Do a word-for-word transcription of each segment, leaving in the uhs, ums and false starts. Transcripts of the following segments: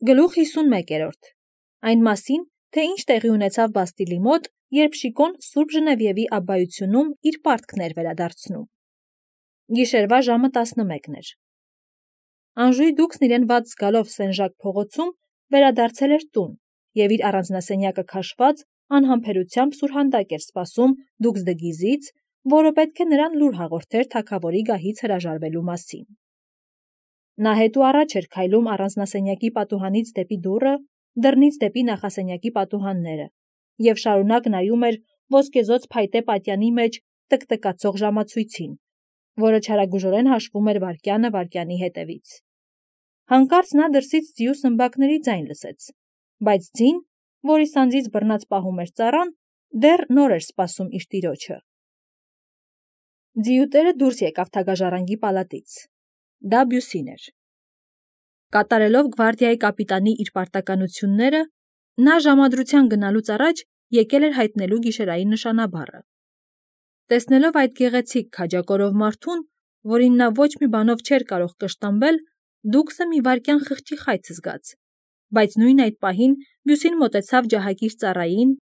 Գլուխ հիսունմեկերորդ. Այն մասին, թե ինչ տեղի ունեցավ Բաստիլի մոտ, երբ Շիկոն Սուրբ Ժնևիևի աբբայությունում իր պարտքն էր վերադարձնում։ Գիշերվա ժամը տասնմեկն էր։ Անժուի դուքսն իրեն վատ զգալով Սեն-Ժակ փողոցում վերադարձել էր տուն և իր առանձնասենյակը քաշված անհամբերությամբ սուրհանդակ էր սպասում դուքս դը Գիզից, որը պետք է նրան լուր հաղորդեր թագավորի գահից հրաժարվելու մասին։ Նա հետ ու առաջ էր քայլում առանձնասենյակի պատուհանից դեպի դուռը, դռնից դեպի նախասենյակի պատուհանները և շարունակ նայում էր ոսկեզօծ փայտե պատյանի մեջ տկտկացող ժամացույցին, որը չարագուժորեն հաշվում էր վայրկյանը վայրկյանի հետևից։ Հանկարծ նա դրսից ձիու սմբակների ձայն լսեց, բայց ձին, որի սանձից բռնած պահում էր ծառան, դեռ նոր էր սպասում իր տիրոջը։ Ձիուտերը դուրս եկավ թագաժառանգի պալատից։ Դա Բյուսին էր։ Կատարելով գվարդիայի կապիտանի իր պարտականությունները, նա ժամադրության գնալուց առաջ եկել էր հայտնելու գիշերային նշանաբառը։ Տեսնելով այդ գեղեցիկ քաջակորով մարդուն, որին նա ոչ մի բանով չէր կարող կշտամբել, դուքսը մի վայրկյան խղճի խայծ զգաց, բայց նույն այդ պահին Բյուսին մոտեցավ ջահակիր ծառային,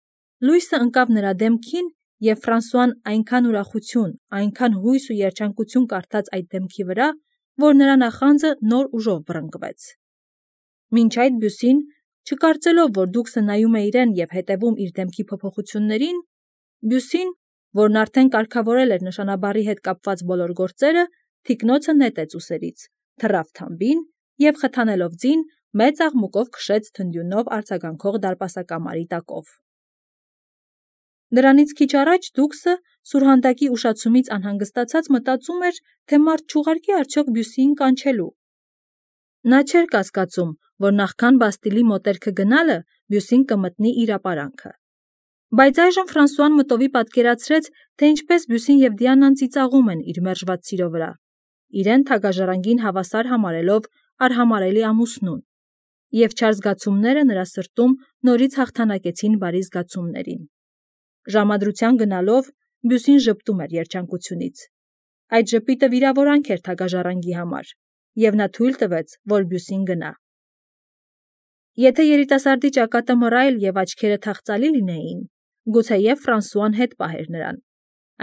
լույսը ընկավ նրա դեմքին, և Ֆրանսուան այնքան ուրախություն, այնքան հույս ու երջանկություն կարդաց այդ դեմքի վրա, որ նրա նախանձը նոր ուժով բռնկվեց։ Մինչ այդ Բյուսին, չկարծելով, որ դուքսը նայում է իրեն և հետևում իր դեմքի փոփոխություններին, Բյուսին, որն արդեն կարգավորել էր նշանաբառի հետ կապված բոլոր գործերը, թիկնոցը նետեց ուսերից, թռավ թամբին և խթանելով ձին, մեծ աղմուկով քշեց թնդյունով արձագանքող դարպասակամարի տակով։ Դրանից քիչ առաջ դուքսը, սուրհանդակի ուշացումից անհանգստացած, մտածում էր, թե մարդ չուղարկի արդյոք Բյուսիին կանչելու։ Նա չէր կասկածում, որ նախքան Բաստիլի մոտերքը գնալը Բյուսին կմտնի իր ապարանքը։ Բայց այժմ Ֆրանսուան մտովի պատկերացրեց, թե ինչպես Բյուսին և Դիանան ծիծաղում են իր մերժված սիրո վրա, իրեն թագաժառանգին հավասար համարելով արհամարհելի ամուսնուն, և չար զգացումները նրա սրտում նորից հաղթանակեցին բարի զգացումներին։ Ժամադրության գնալով Բյուսին ժպտում էր երջանկությունից։ Այդ ժպիտը վիրավորանք էր թագաժառանգի համար, և նա թույլ տվեց, որ Բյուսին գնա։ Եթե երիտասարդի ճակատը մռայլ և աչքերը թախծալի լինեին, գուցեև Ֆրանսուան հետ պահեր նրան,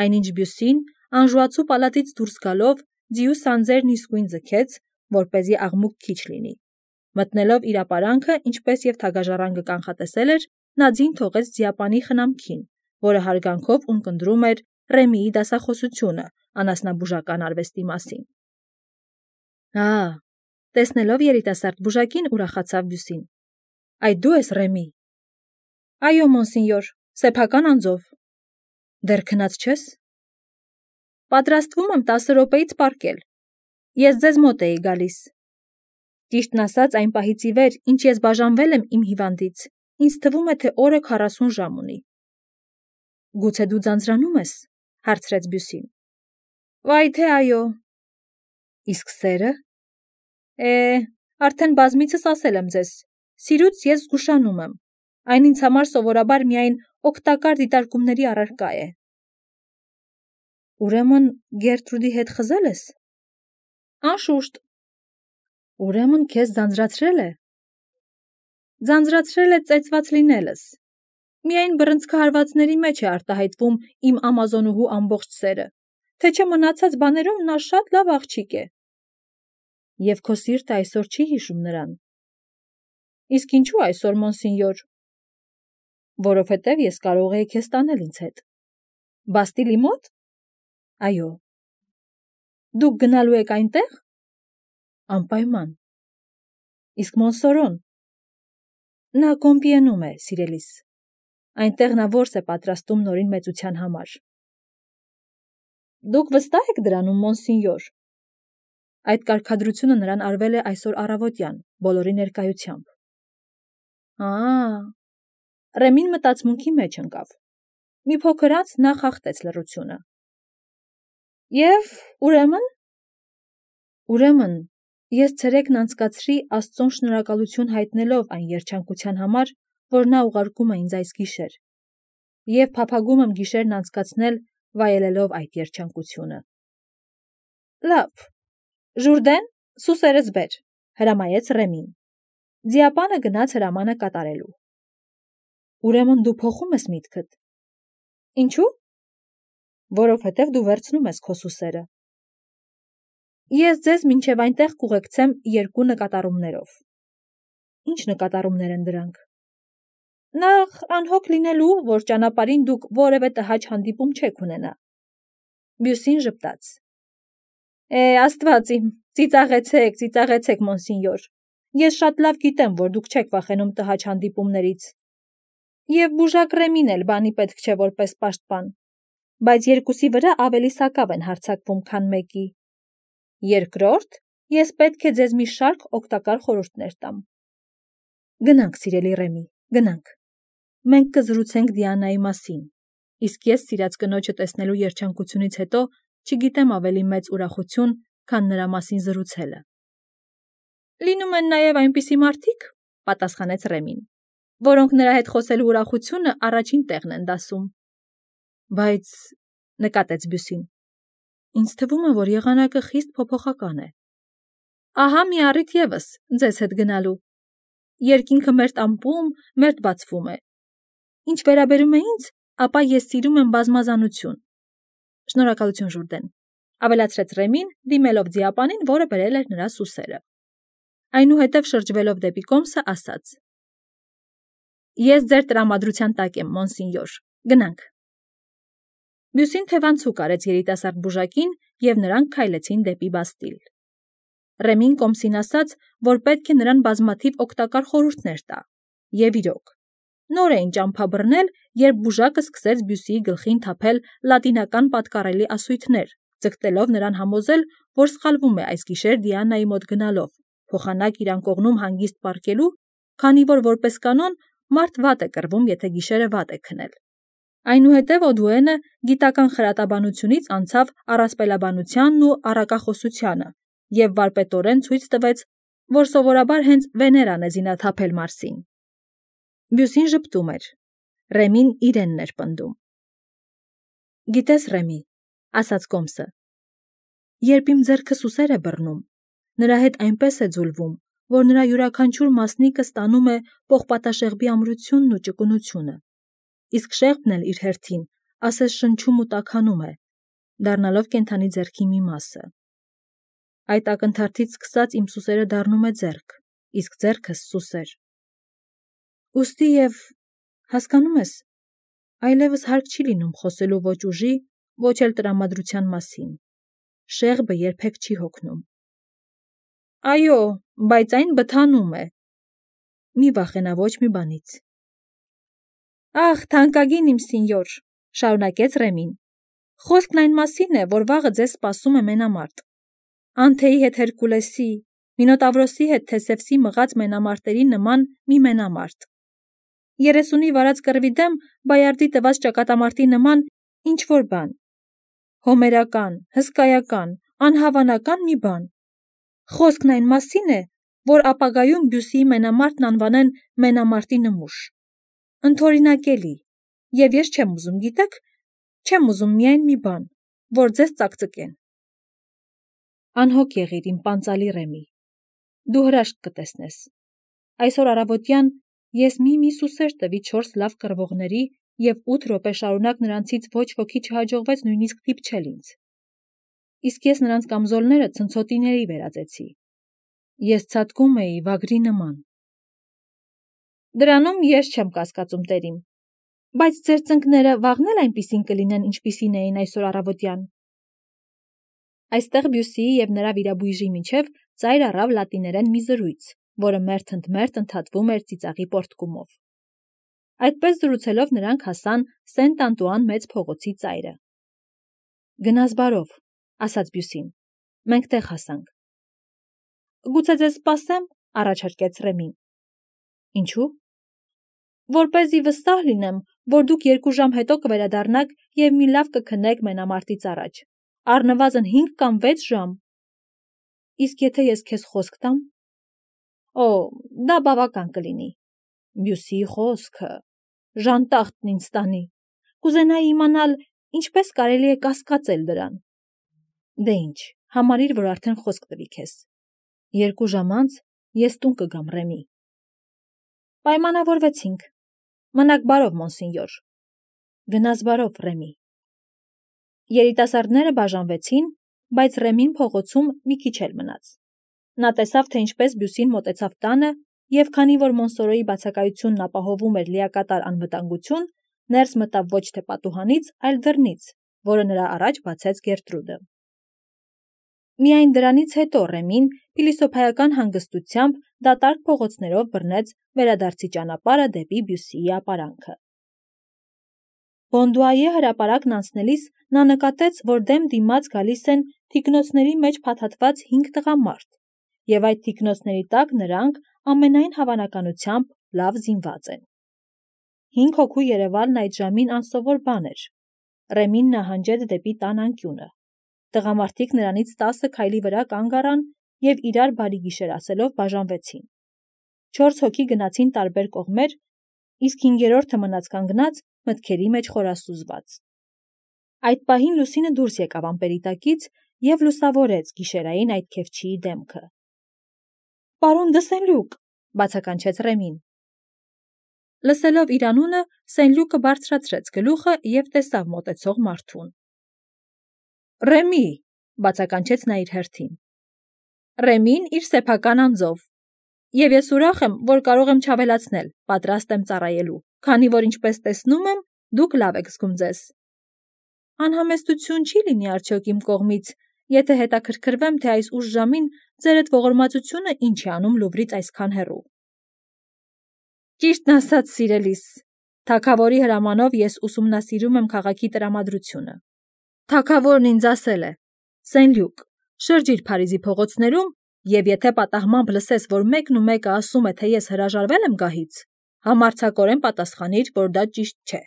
այնինչ Բյուսին, անժուացու պալատից դուրս գալով, ձիու սանձերն իսկույն ձգեց, որպեսզի աղմուկ քիչ լինի։ Մտնելով իր ապարանքը, ինչպես և թագաժառանգը կանխատեսել էր, նա ձին թողեց ձիապանի խնամքին, որը հարգանքով ունկնդրում էր Ռեմիի դասախոսությունը անասնաբուժական արվեստի մասին։ Ա, տեսնելով երիտասարդ բուժակին, ուրախացավ Բյուսին։ Այդ դու ես, Ռեմի։ Այո, մոնսինյոր, սեփական անձով։ Դեռ քնած չես։ Պատրաստվում եմ տասը րոպեից պառկել։ Ես ձեզ մոտ էի գալիս։ Ճիշտն ասած, այն պահից ի վեր, ինչ ես բաժանվել եմ իմ հիվանդից, ինձ թվում է, թե օրը քառասուն ժամ ունի։ Գուցե դու ձանձրանում ես, հարցրեց Բյուսին։ Վայ թե այո։ Իսկ սերը։ Է, արդեն բազմիցս ասել եմ ձեզ, սիրուց ես զգուշանում եմ, այն ինձ համար սովորաբար միայն օգտակար դիտարկումների առարկա է։ Ուրեմն Գերտրուդի հետ խզել ես։ Անշուշտ։ Ուրեմն քեզ ձանձրացրել է։ Ձանձրացրել է ծեծված լինելս։ Միայն բռնցքահարվածների մեջ է արտահայտվում իմ ամազոնուհու ամբողջ սերը, թե չէ մնացած բաներում նա շատ լավ աղջիկ է։ Եվ քո սիրտը այսօր չի հիշում նրան։ Իսկ ինչու այսօր, մոնսինյոր։ Որովհետև ես կարող էի քեզ տանել ինձ հետ։ Բաստիլի մոտ։ Այո։ Դուք գնալու եք այնտեղ։ Անպայման։ Իսկ Մոնսորոն։ Նա Կոմպիենում է, սիրելիս։ Այնտեղ նա որս է պատրաստում նորին մեծության համար։ Դուք վստահ եք դրանում, մոնսինյոր։ Այդ կարգադրությունը նրան արվել է այսօր առավոտյան, բոլորի ներկայությամբ։ Ա, Ռեմին մտածմունքի մեջ ընկավ։ Մի փոքր անց նա խախտեց լռությունը։ Եվ ուրեմն։ Ուրեմն, ես ցերեկն անցկացրի Աստծուն շնորհակալություն հայտնելով այն երջանկության համար, որ նա ուղարկում է ինձ այս գիշեր, և փափագում եմ գիշերն անցկացնել վայելելով այդ երջանկությունը։ Լավ, Ժուրդեն, սուսերս բեր, հրամայեց Ռեմին։ Ձիապանը գնաց հրամանը կատարելու։ Ուրեմն դու փոխում ես միտքդ։ Ինչու՞։ Որովհետև դու վերցնում ես քո սուսերը։ Ես ձեզ մինչև այնտեղ կուղեկցեմ երկու նկատառումներով։ Ինչ նկատառումներ են դրանք։ Նախ անհոգ լինելու, որ ճանապարհին դուք որևէ տհաճ հանդիպում չեք ունենա։ Բյուսին ժպտաց։ Է, Աստված իմ, ծիծաղեցեք, ծիծաղեցեք, մոնսինյոր։ Ես շատ լավ գիտեմ, որ դուք չեք վախենում տհաճ հանդիպումներից։ Եվ բուժակ Ռեմին էլ բանի պետք չէ որպես պաշտպան, բայց երկուսի վրա ավելի սակավ են հարձակվում, քան մեկի։ Երկրորդ, ես պետք է ձեզ մի շարք օգտակար խորհուրդներ տամ։ Գնանք, սիրելի Ռեմի, գնանք։ Մենք կզրուցենք Դիանայի մասին, իսկ ես սիրած կնոջը տեսնելու երջանկությունից հետո չգիտեմ ավելի մեծ ուրախություն, քան նրա մասին զրուցելը։ Լինում են նաև այնպիսի մարդիկ, պատասխանեց Ռեմին, որոնք նրա հետ խոսելու ուրախությունը առաջին տեղն են դասում։ Բայց, նկատեց Բյուսին, ինձ թվում է, որ եղանակը խիստ փոփոխական է։ Ահա մի առիթ ևս ձեզ հետ գնալու։ Երկինքը մերթ ամպում, մերթ բացվում է։ Ինչ վերաբերում է ինձ, ապա ես սիրում եմ բազմազանություն։ Շնորհակալություն, Ժուրդեն, ավելացրեց Ռեմին, դիմելով ձիապանին, որը բերել էր նրա սուսերը։ Այնուհետև շրջվելով դեպի կոմսը ասաց. Ես ձեր տրամադրության տակ եմ, մոնսինյոր, գնանք։ Բյուսին թևանցուկ արեց երիտասարդ բուժակին, և նրանք քայլեցին դեպի Բաստիլ։ Ռեմին կոմսին ասաց, որ պետք է նրան բազմաթիվ օգտակար խորհուրդներ տա, և իրոք։ Նոր էին ճամփա բռնել, երբ բուժակը սկսեց Բյուսիի գլխին թափել լատինական պատկառելի ասույթներ, ձգտելով նրան համոզել, որ սխալվում է այս գիշեր Դիանայի մոտ գնալով, փոխանակ իրան կողնում հանգիստ պառկելու, քանի որ որպես կանոն մարդ վատ է կռվում, եթե գիշերը վատ է քնել։ Այնուհետև Օդուենը գիտական խրատաբանությունից անցավ առասպելաբանությանն ու առակախոսությանը և վարպետորեն ցույց տվեց, որ սովորաբար հենց Վեներան է զինաթափել Մարսին։ Բյուսին ժպտում էր։ Ռեմին իրենն էր պնդում։ Գիտես, Ռեմի, ասաց կոմսը, երբ իմ ձեռքը սուսեր է բռնում, նրա հետ այնպես է ձուլվում, որ նրա յուրաքանչյուր մասնիկը ստանում է պողպատաշեղբի ամրությունն ու ճկունությունը, իսկ շեղբն էլ իր հերթին ասես շնչում ու տաքանում է, դառնալով կենդանի ձեռքի մի մասը։ Այդ ակնթարթից սկսած իմ սուսերը դառնում է ձեռք, իսկ ձեռքս սուսեր։ Ուստի և, հասկանում ես, այլևս հարկ չի լինում խոսելու ոչ ուժի, ոչ էլ տրամադրության մասին։ Շեղբը երբեք չի հոգնում։ Այո, բայց այն բթանում է։ Մի վախենա ոչ մի բանից։ Ախ, թանկագին իմ սինյոր, շարունակեց Ռեմին, խոսքն այն մասին է, որ վաղը ձեզ սպասում է մենամարտ։ Անթեի հետ Հերկուլեսի, Մինոտավրոսի հետ Թեսևսի մղած մենամարտերի նման մի մենամարտ։ Երեսունի վարած կռվի դեմ Բայարդի տված ճակատամարտի նման ինչ-որ բան։ Հոմերական, հսկայական, անհավանական մի բան։ Խոսքն այն մասին է, որ ապագայում Բյուսիի մենամարտն անվանեն մենամարտի նմուշ։ Ընդօրինակելի, և ես չեմ ուզում, գիտեք, չեմ ուզում միայն մի բան, որ ձեզ ծակծկեն։ Անհոգ եղիր, իմ պանծալի Ռեմի, դու հրաշք կտեսնես։ Այսօր առավոտյան ես մի-մի սուսեր տվի չորս լավ կռվողների և ութ րոպե շարունակ նրանցից ոչ ոքի չհաջողվեց նույնիսկ դիպչել ինձ։ Իսկ ես նրանց կամզոլները ցնցոտիների վերածեցի։ Ես ցատկում էի վագրի նման։ Դրանում ես չեմ կասկածում, տերիմ, բայց ձեր ծնկները վաղն էլ այնպիսին կլինեն, ինչպիսին էին այսօր առավոտյան։ Այստեղ Բյուսիի և նրա վիրաբույժի միջև ծայր առավ լատիներեն մի զրույց, որը մերթընդմերթ ընդհատվում էր ծիծաղի պոռթկումով։ Այդպես զրուցելով նրանք հասան Սենտ Անտուան մեծ փողոցի ծայրը։ Գնաս բարով, ասաց Բյուսին, մենք տեղ հասանք։ Գուցե ձեզ սպասեմ, առաջարկեց Ռեմին։ Ինչու՞։ Որպեսզի վստահ լինեմ, որ դուք երկու ժամ հետո կվերադառնաք և մի լավ կքնեք մենամարտից առաջ, առնվազն հինգ կամ վեց ժամ։ Իսկ եթե ես քեզ խոսք տամ։ Օ, դա բավական կլինի։ Բյուսիի խոսքը, ժանտախտն ինձ տանի։ Կուզենայի իմանալ, ինչպես կարելի է կասկածել դրան։ Դե ինչ, համարիր, որ արդեն խոսք տվի քեզ։ Երկու ժամ անց ես տուն կգամ, Ռեմի։ Պայմանավորվեցինք։ Մնաք բարով, մոնսինյոր։ Գնաս բարով, Ռեմի։ Երիտասարդները բաժանվեցին, բայց Ռեմին փողոցում մի քիչ էլ մնաց։ Նա տեսավ, թե ինչպես Բյուսին մոտեցավ տանը, և քանի որ Մոնսորոյի բացակայությունն ապահովում էր լիակատար անվտանգություն, ներս մտավ ոչ թե պատուհանից, այլ դռնից, որը նրա առաջ բացեց Գերտրուդը։ Միայն դրանից հետո Ռեմին փիլիսոփայական հանգստությամբ դատարկ փողոցներով բռնեց վերադարձի ճանապարհը դեպի Բյուսիի ապարանքը։ Բոնդուայե հրապարակն անցնելիս նա նկատեց, որ դեմ դիմաց գալիս են թիկնոցների մեջ փաթաթված հինգ տղամարդ, և այդ թիկնոցների տակ նրանք ամենայն հավանականությամբ լավ զինված են։ Հինգ հոգու երևալն այդ ժամին անսովոր բան էր։ Ռեմին նահանջեց դեպի տան անկյունը։ Տղամարդիկ նրանից տասը քայլի վրա կանգ առան և իրար բարի գիշեր ասելով բաժանվեցին։ Չորս հոգի գնացին տարբեր կողմեր, իսկ հինգերորդը մնաց կանգնած, մտքերի մեջ խորասուզված։ Այդ պահին լուսինը դուրս եկավ ամպերի տակից և լուսավորեց գիշերային այդ քեֆչիի դեմքը։ «Պարոն դը Սեն-Լյուկ», բացականչեց Ռեմին։ Լսելով իր անունը, Սեն-Լյուկը բարձրացրեց գլուխը և տեսավ մոտեցող մարդուն։ «Ռեմի», բացականչեց նա իր հերթին։ Ռեմին իր սեփական անձով։ Եվ ես ուրախ եմ, որ կարող եմ չավելացնել, պատրաստ եմ ծառայելու, քանի որ ինչպես տեսնում եմ, դուք լավ եք զգում ձեզ։ Անհամեստություն չի լինի արդյոք իմ կողմից, եթե հետաքրքրվեմ, թե այս ուշ ժամին ձերդ ողորմածությունը ինչ է անում Լուվրից այսքան հեռու։ Ճիշտն ասած, սիրելիս, թագավորի հրամանով ես ուսումնասիրում եմ քաղաքի տրամադրությունը։ Թագավորն ինձ ասել է. Սեն-Լյուկ, շրջիր Փարիզի փողոցներում, և եթե պատահմամբ լսես, որ մեկն ու մեկը ասում է, թե ես հրաժարվել եմ գահից, համարձակորեն պատասխանիր, որ դա ճիշտ չէ։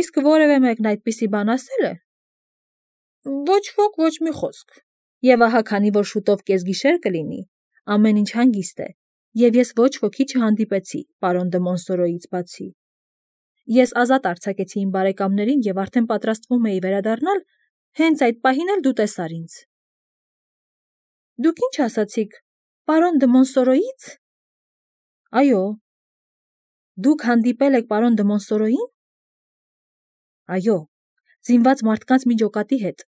Իսկ որևէ մեկն այդպիսի բան ասել է։ Ոչ ոք, ոչ մի խոսք։ Եվ ահա քանի որ շուտով կեսգիշեր կլինի, ամեն ինչ հանգիստ է, և ես ոչ ոքի չհանդիպեցի պարոն դը Մոնսորոյից բացի։ Ես ազատ արձակեցի իմ բարեկամներին և արդեն պատրաստվում էի վերադառնալ, հենց այդ պահին էլ դու տեսար ինձ։ Դուք ինչ ասացիք, պարոն դը Մոնսորոյից։ Այո։ Դուք հանդիպել եք պարոն դը Մոնսորոյին։ Այո, զինված մարդկանց մի ջոկատի հետ։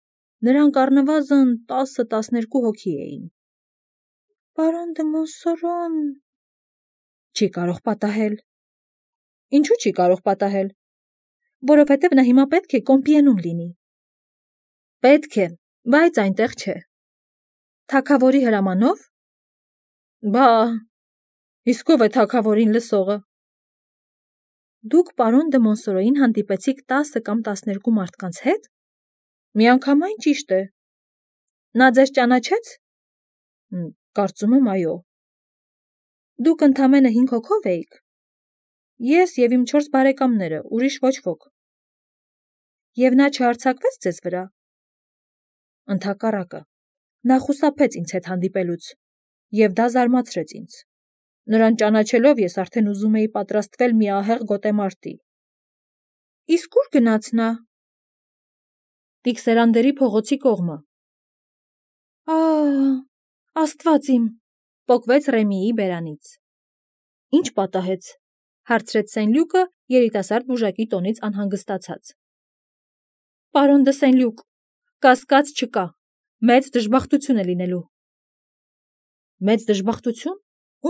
Նրանք առնվազն տասը-տասներկու հոգի էին։ Պարոն դը Մոնսորոն… Չի կարող պատահել։ Ինչու՞ չի կարող պատահել։ Որովհետև նա հիմա պետք է Կոմպիենում լինի։ Պետք է, բայց այնտեղ չէ։ Թագավորի հրամանով։ Բա, իսկ ով է թագավորին լսողը։ Դուք պարոն դը Մոնսորոյին հանդիպեցիք տասը կամ տասներկու մարդկանց հետ։ Միանգամայն ճիշտ է։ Նա ձեզ ճանաչեց։ Կարծում եմ, այո։ Դուք ընդամենը հինգ հոգով էիք։ Ես և իմ չորս բարեկամները, ուրիշ ոչ ոք։ Եվ նա չհարձակվեց ձեզ վրա։ Ընդհակառակը, նա խուսափեց ինձ հետ հանդիպելուց, և դա զարմացրեց ինձ։ Նրան ճանաչելով ես արդեն ուզում էի պատրաստվել մի ահեղ գոտեմարտի։ Իսկ ուր գնաց նա։ Տիքսերանդերի փողոցի կողմը։ Ահ, Աստված իմ, պոկվեց Ռեմիի բերանից։ Ինչ պատահեց, հարցրեց Սեն-Լյուկը երիտասարդ բուժակի տոնից անհանգստացած։ Պարոն դը Սեն-Լյուկ, կասկած չկա, մեծ դժբախտություն է լինելու։ Մեծ դժբախտություն։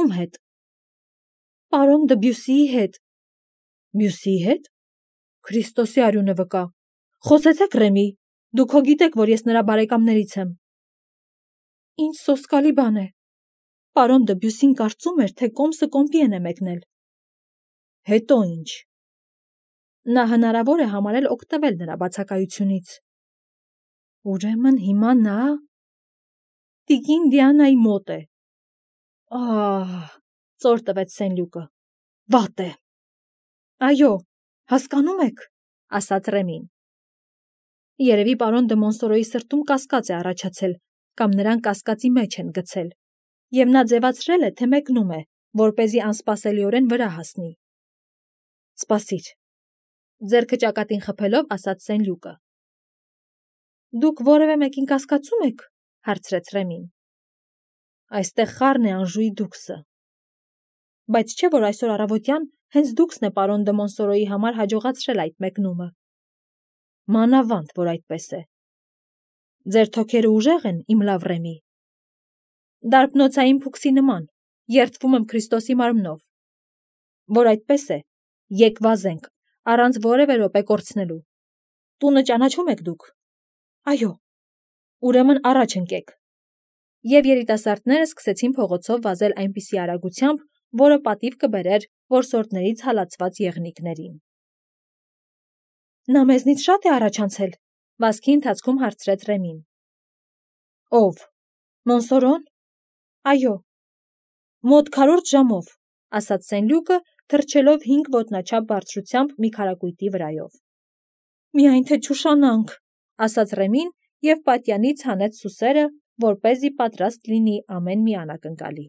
Ում հետ։ Պարոն դը Բյուսիի հետ։ Բյուսիի հետ։ Քրիստոսի արյունը վկա։ Խոսեցեք, Ռեմի, դուք հո գիտեք, որ ես նրա բարեկամներից եմ։ Ինչ սոսկալի բան է։ Պարոն դը Բյուսին կարծում էր, թե Կոմսը Կոմպիեն է մեկնել։ Հետո ինչ։ Նա հնարավոր է համարել օգտվել նրա բացակայությունից։ Ուրեմն հիմա նա… Տիկին Դիանայի մոտ է։ Ահ, ծոր տվեց Սեն-Լյուկը։ Վատ է։ Այո, հասկանում եք, ասաց Ռեմին։ Երևի պարոն դը Մոնսորոյի սրտում կասկած է առաջացել, կամ նրան կասկածի մեջ են գցել, և նա ձևացրել է, թե մեկնում է, որպեսզի անսպասելիորեն վրա հասնի։ Սպասիր, ձեռքը ճակատին խփելով ասաց Սեն-Լյուկը։ Դուք որևէ մեկին կասկածում եք, հարցրեց Ռեմին։ Այստեղ խառն է Անժուի դուքսը։ Բայց չէ՞ որ այսօր առավոտյան հենց դուքսն է պարոն դը Մոնսորոյի համար հաջողացրել այդ մեկնումը։ Մանավանդ, որ այդպես է։ Ձեր թոքերը ուժեղ են, իմ լավ Ռեմի։ Դարբնոցային փուքսի նման, երդվում եմ Քրիստոսի մարմնով։ Որ այդպես է, եկ վազենք, առանց որևէ րոպե կորցնելու։ Տունը ճանաչում եք դուք։ Այո։ Ուրեմն առաջ ընկեք։ Եվ երիտասարդները սկսեցին փողոցով վազել այնպիսի արագությամբ, որը պատիվ կբերեր որսորդներից հալածված եղնիկներին։ Նա մեզնից շատ է առաջանցել, վազքի ընթացքում հարցրեց Ռեմին։ Ով։ Մոնսորոն։ Այո։ Մոտ քառորդ ժամով, ասաց Սենլյուկը, թռչելով հինգ ոտնաչափ բարձրությամբ մի քարակույտի վրայով։ Միայն թե չուշանանք, ասաց Ռեմին և պատյանից հանեց սուսերը, որպեսզի պատրաստ լինի ամեն մի անակնկալի։